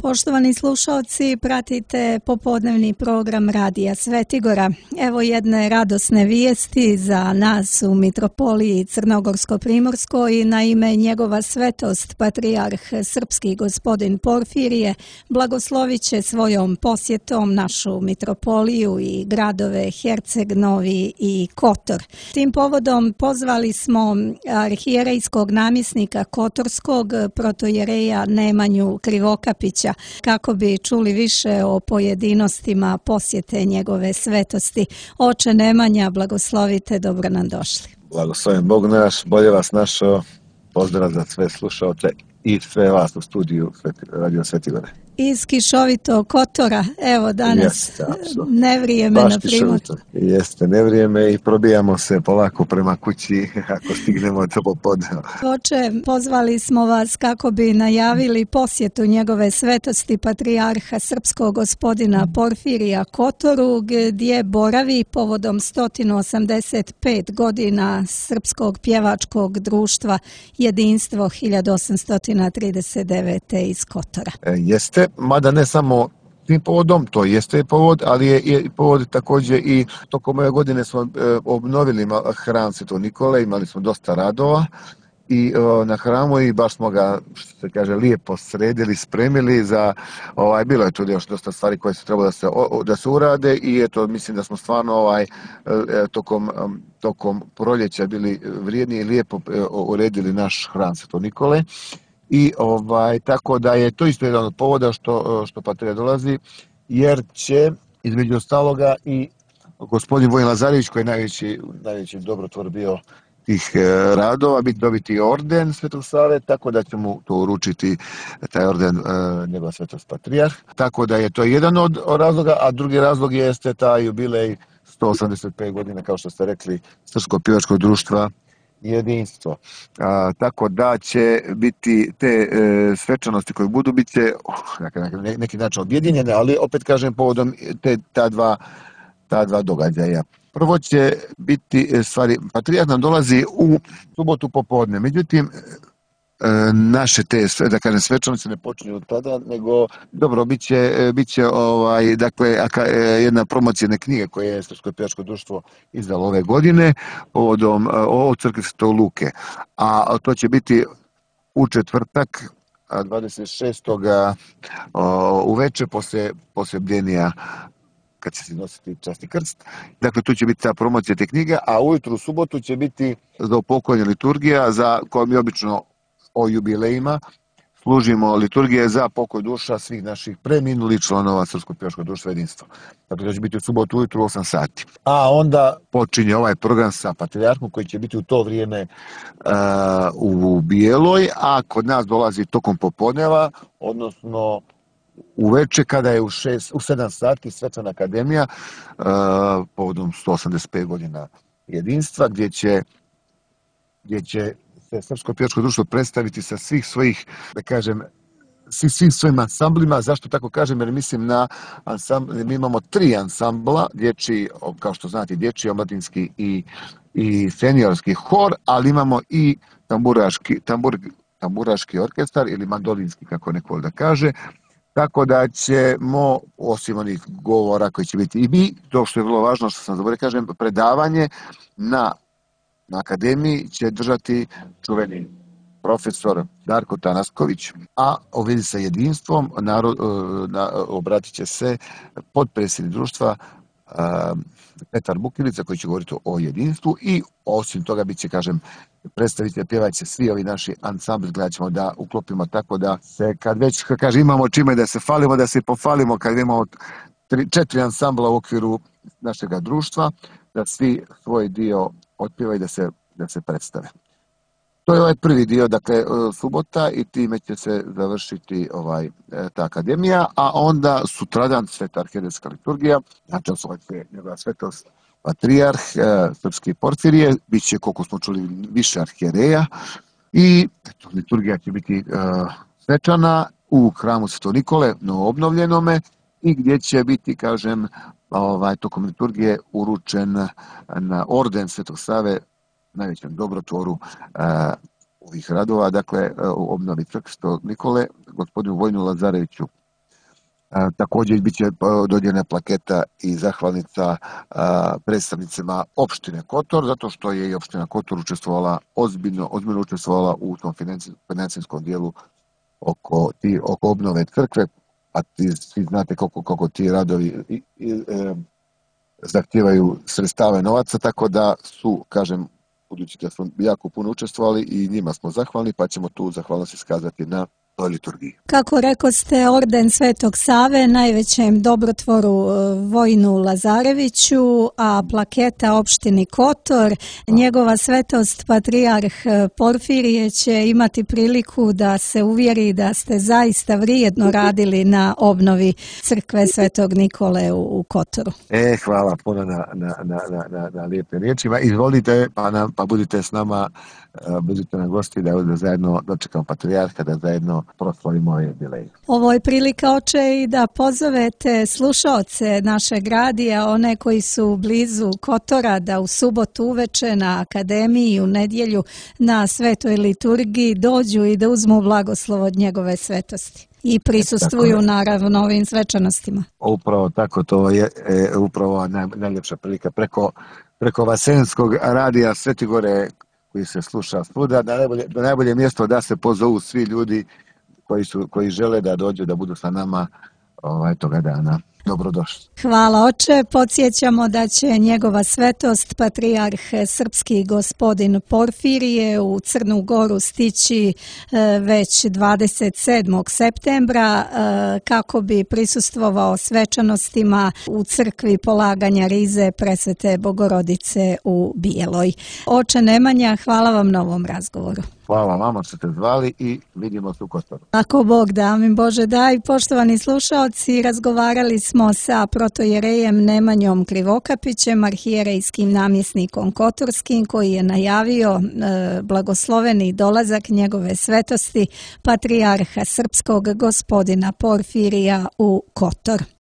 Poštovani slušalci, pratite popodnevni program Radija Svetigora. Evo jedne radosne vijesti za nas u Mitropoliji Crnogorsko-Primorskoj. Naime, njegova svetost, patrijarh srpski gospodin Porfirije, blagoslovit će svojom posjetom našu mitropoliju i gradove Herceg Novi i Kotor. Tim povodom pozvali smo arhijerejskog namjesnika Kotorskog, protojereja Nemanju Krivokapića, kako bi čuli više o pojedinostima posjete njegove svetosti. Oče Nemanja, blagoslovite, dobro nam došli. Blagoslovim Bog naš, bolje vas našao, pozdrav za sve slušaoce i sve vas u studiju Radio Svetigore. Iz kišovitog Kotora, evo danas nevrijeme na Primorju. Jeste, nevrijeme i probijamo se polako prema kući ako stignemo to popodne. Oče, pozvali smo vas kako bi najavili posjetu njegove svetosti patrijarha srpskog gospodina Porfirija Kotoru, gdje boravi povodom 185 godina Srpskog pjevačkog društva Jedinstvo 1839. iz Kotora. Jeste, mada ne samo tim povodom, to jeste povod, ali je povod također i tokom ove godine smo obnovili hram Svetog Nikole, imali smo dosta radova i na hramu i baš smo ga, što se kaže, lijepo sredili, spremili za, bilo je tu još dosta stvari koje su trebalo da se urade i eto, mislim da smo stvarno tokom proljeća bili vrijedni i lijepo uredili naš hram Svetog Nikole. I tako da je to isto jedan od povoda što patrijarh dolazi, jer će između ostaloga i gospodin Vojin Lazarević, koji je najveći dobrotvor bio tih radova, dobiti orden Svetog Save, tako da će mu to uručiti taj orden njegova svetost patrijarh. Tako da je to jedan od razloga, a drugi razlog jeste taj jubilej 185 godina, kao što ste rekli, Srpskog pjevačkog društva Jedinstvo. Tako da će biti te svečanosti koje budu, bit će neki način objedinjene, ali opet kažem povodom ta dva događaja. Prvo će biti patrijarh nam dolazi u subotu popodne, međutim naše te, da kažem, svečanosti ne počinju od tada, nego dobro, bit će jedna promocijne knjige koje je Srpsko pjevačko društvo izdalo ove godine povodom o crkvi Svetog Luke. A to će biti u četvrtak 26. uveče poslije bdjenja kad će se nositi časni krst. Dakle, tu će biti ta promocija te knjige, a ujutru u subotu će biti za upokojanje liturgija za koju mi obično o jubilejima služimo liturgije za pokoj duša svih naših preminulih članova Srpskog pjevačkog društva Jedinstvo. Dakle, to će biti u subotu ujutru u 8 sati. A onda počinje ovaj program sa patrijarhom koji će biti u to vrijeme u Bijeloj, a kod nas dolazi tokom popodneva, odnosno uveče kada je u 7 sati svečana akademija povodom 185 godina Jedinstva, gdje će Srpsko pjevačko društvo predstaviti sa svih svojih, da kažem, svim svojim ansamblima. Zašto tako kažem? Jer mislim na ansambl, mi imamo 3 ansambla, dječji, kao što znate, dječji, omladinski i seniorski hor, ali imamo i tamburaški orkestar ili mandolinski, kako neko da kaže. Tako da ćemo, osim onih govora koji će biti i mi, to što je vrlo važno, što sam zaboravio kažem, predavanje na akademiji će držati čuveni profesor Darko Tanasković, a u vezi sa jedinstvom obratit će se potpredsjednik društva Petar Bukilica, koji će govoriti o jedinstvu i osim toga bit će, kažem, predstavitelj, pjevat će svi ovi naši ansambli, gledat ćemo da uklopimo tako da se, kad već, kaže, imamo čime da se falimo, da se pofalimo, kad imamo 4 ansambla u okviru našega društva, da svi svoj dio otpjevaju da se predstave. To je ovaj prvi dio, dakle, subota i time će se završiti ta akademija, a onda sutradan sveta arhijerejska liturgija, znači njegova svetost patrijarh srpski Porfirije, bit će, koliko smo čuli, više arhijereja i liturgija će biti svečana u hramu Svetog Nikole, novoobnovljenome, i gdje će biti, kažem, tokom liturgije uručen na orden Svetog Save, najvećem dobrotvoru ovih radova, dakle, u obnovi crkve Svetog Nikole, gospodinu Vojinu Lazareviću Također bit će dodijeljena plaketa i zahvalnica predstavnicima opštine Kotor, zato što je i opština Kotor učestvovala ozbiljno učestvovala u tom financijskom dijelu oko obnove crkve, a svi znate koliko ti radovi zahtijevaju sredstava i novaca, tako da su, kažem, budući da smo jako puno učestvovali i njima smo zahvalni, pa ćemo tu zahvalnost iskazati na toj liturgiji. Kako rekoste, orden Svetog Save, najvećem dobrotvoru Vojinu Lazareviću, a plaketa opštini Kotor, njegova svetost patrijarh Porfirije će imati priliku da se uvjeri da ste zaista vrijedno radili na crkve Svetog Nikole u Kotoru. Hvala puno na lijepim riječima. Izvolite, pa budite s nama, budite na gosti da zajedno dočekamo patrijarha, da zajedno proslavimo ovaj jubilej. Ovo je prilika, oče, i da pozovete slušaoce našeg radija, one koji su blizu Kotora, da u subotu uveče na akademiji, u nedjelju na svetoj liturgiji dođu i da uzmu blagoslov od njegove svetosti. I prisustvuju naravno ovim svečanostima. Upravo tako, to je upravo najljepša prilika preko Vasenskog radija Svetigore koji se sluša svuda, da najbolje mjesto da se pozovu svi ljudi koji žele da dođu da budu sa nama toga dana. Dobrodošli. Hvala, oče. Podsjećamo da će njegova svetost, patrijarh srpski gospodin Porfirije, u Crnu Goru stići već 27. septembra kako bi prisustvovao svečanostima u crkvi polaganja rize Presvete Bogorodice u Bijeloj. Oče Nemanja, hvala vam na ovom razgovoru. Hvala vama što ste zvali i vidimo se u Kotoru. Ako Bog da, amin Bože daj. Poštovani slušaoci, razgovarali smo sa protojerejem Nemanjom Krivokapićem, arhijerejskim namjesnikom kotorskim, koji je najavio blagosloveni dolazak njegove svetosti patrijarha srpskog gospodina Porfirija u Kotor.